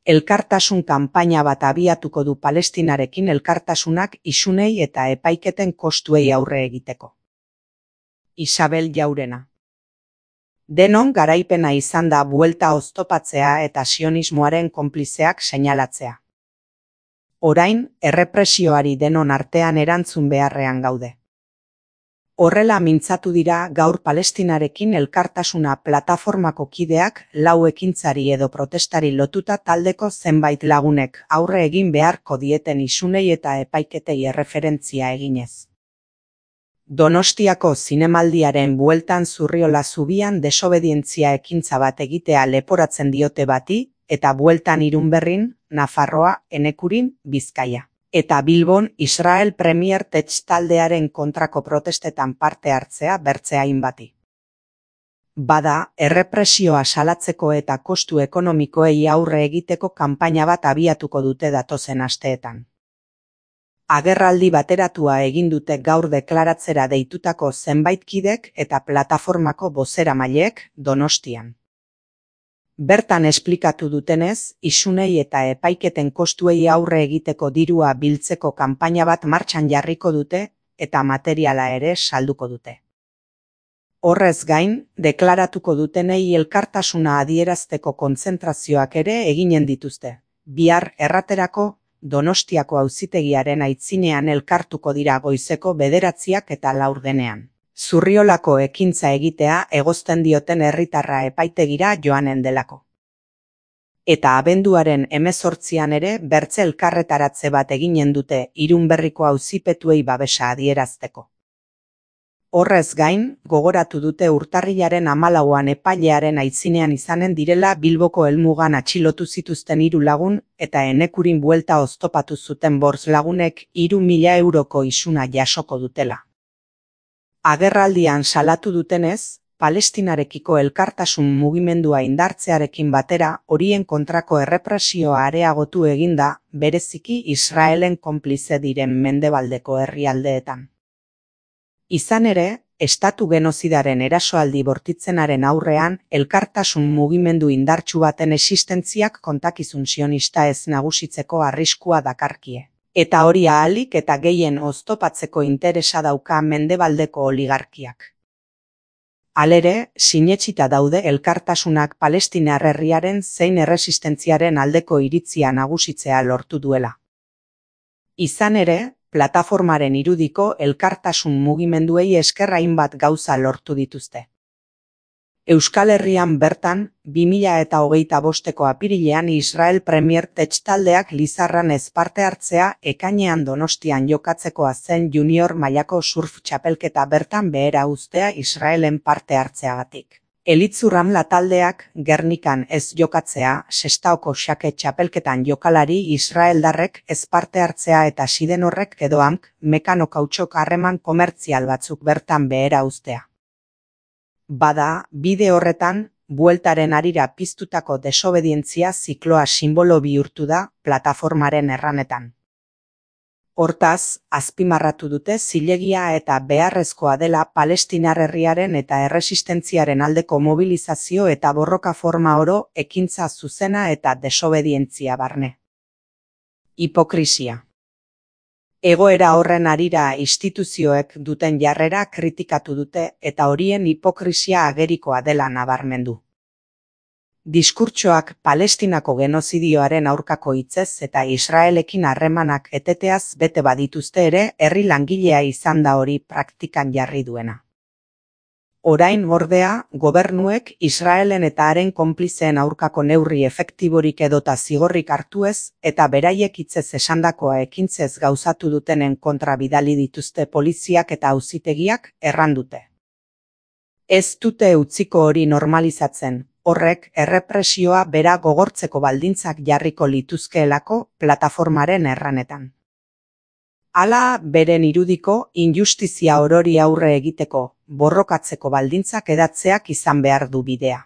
elkartasun kanpaina bat abiatuko du Palestinarekin elkartasunak isunei eta epaiketen kostuei aurre egiteko. Isabel Jaurena. Denon garaipena izan da buelta oztopatzea eta sionismoaren konplizeak seinalatzea. Orain, errepresioari denon artean erantzun beharrean gaude. Horrela mintzatu dira gaur Palestinarekin elkartasuna plataformako kideak 4 ekintzari edo protestari lotuta taldeko zenbait lagunek aurre egin beharko dieten isunei eta epaiketei erreferentzia eginez. Donostiako zinemaldiaren bueltan Zurriola zubian desobedientzia ekintza bat egitea leporatzen diote bati, eta bueltan Irunberrin, Nafarroa, Enekurin, Bizkaia. Eta Bilbon Israel Premier Tech taldearen kontrako protestetan parte hartzea bertze hainbati. Bada, errepresioa salatzeko eta kostu ekonomikoei aurre egiteko kanpaina bat abiatuko dute datozen asteetan. Agerraldi bateratua egin dute gaur deklaratzera deitutako zenbait kidek eta plataformako bozeramaileek Donostian. Bertan esplikatu dutenez, isunei eta epaiketen kostuei aurre egiteko dirua biltzeko kanpaina bat martxan jarriko dute eta materiala ere salduko dute. Horrez gain, deklaratuko dutenei elkartasuna adierazteko kontzentrazioak ere eginen dituzte. Bihar erraterako, Donostiako auzitegiaren aitzinean elkartuko dira goizeko 9 eta 4. Zurriolako ekintza egitea egozten dioten herritarra epaitegira joanen delako. Eta abenduaren 18 ere bertze elkarretaratze bat eginen dute Irunberriko auzipetuei babesa adierazteko. Horrez gain, gogoratu dute urtarrilaren 14an epailearen aitzinean izanen direla Bilboko helmugan atxilotu zituzten 3 lagun eta Enekurin buelta oztopatu zuten 5 lagunek 3.000 euroko isuna jasoko dutela. Agerraldian salatu dutenez, Palestinarekiko elkartasun mugimendua indartzearekin batera horien kontrako errepresioa areagotu eginda, bereziki Israelen konplize diren mendebaldeko herrialdeetan. Izan ere, estatu genozidaren erasoaldi bortitzenaren aurrean, elkartasun mugimendu indartsu baten existentziak kontakizun sionista ez nagusitzeko arriskua dakarkie. Eta hori ahalik eta gehien oztopatzeko interesa dauka mendebaldeko oligarkiak. Halere, sinetsita daude elkartasunak Palestinar herriaren zein erresistentziaren aldeko iritzia nagusitzea lortu duela. Izan ere, plataformaren irudiko elkartasun mugimenduei esker hainbat gauza lortu dituzte. Euskal Herrian bertan, 2025ko apirilean Israel Premier Tech taldeak Lizarran ez parte hartzea ekainean Donostian jokatzekoa zen junior mailako surf txapelketa bertan behera uztea Israelen parte hartzeagatik. Elitzurramla taldeak Gernikan ez jokatzea, Sestaoko xake txapelketan jokalari israeldarrek ez parte hartzea eta Sidenorrek edo Amk Mekano kautxok harreman komertzial batzuk bertan behera uztea. Bada, bide horretan, bueltaren harira piztutako desobedientzia zikloa sinbolo bihurtu da plataformaren erranetan. Hortaz, azpimarratu dute zilegia eta beharrezkoa dela Palestinar herriaren eta erresistentziaren aldeko mobilizazio eta borroka forma oro ekintza zuzena eta desobedientzia barne. Hipokrisia. Egoera horren harira instituzioek duten jarrera kritikatu dute eta horien hipokrisia agerikoa dela nabarmendu. Diskurtsoak Palestinako genozidioaren aurkako hitzez eta Israelekin harremanak eteteaz bete badituzte ere herri langilea izan da hori praktikan jarri duena. Orain ordea, gobernuek Israelen eta haren konplizeen aurkako neurri efektiborik edota zigorrik hartu ez eta beraiek hitzez esandakoa ekintzez gauzatu dutenen kontra bidali dituzte poliziak eta auzitegiak errandute. Ez dute utziko hori normalizatzen. Horrek errepresioa bera gogortzeko baldintzak jarriko lituzkeelako plataformaren erranetan. Hala, beren irudiko, injustizia orori aurre egiteko, borrokatzeko baldintzak edatzeak izan behar du bidea.